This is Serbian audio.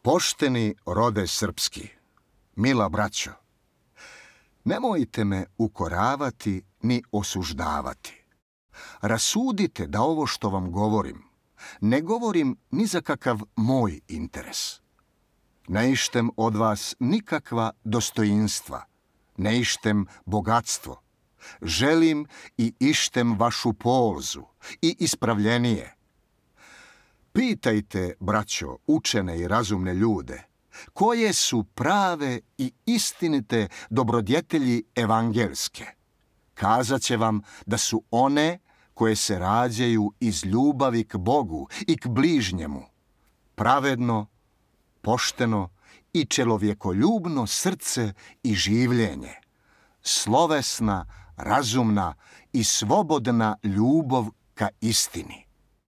Pošteni rode srpski, mila braćo, nemojte me ukoravati ni osuždavati. Rasudite da ovo što vam govorim, ne govorim ni za kakav moj interes. Ne ištem od vas nikakva dostojinstva, ne ištem bogatstvo. Želim i ištem vašu polzu i ispravljenije. Pitajte, braćo, učene i razumne ljude, koje su prave i istinite dobrodjetelji evangelske. Kazat će vam da su one koje se rađaju iz ljubavi k Bogu i k bližnjemu, pravedno, pošteno i čelovjekoljubno srce i življenje, slovesna, razumna i slobodna ljubav ka istini.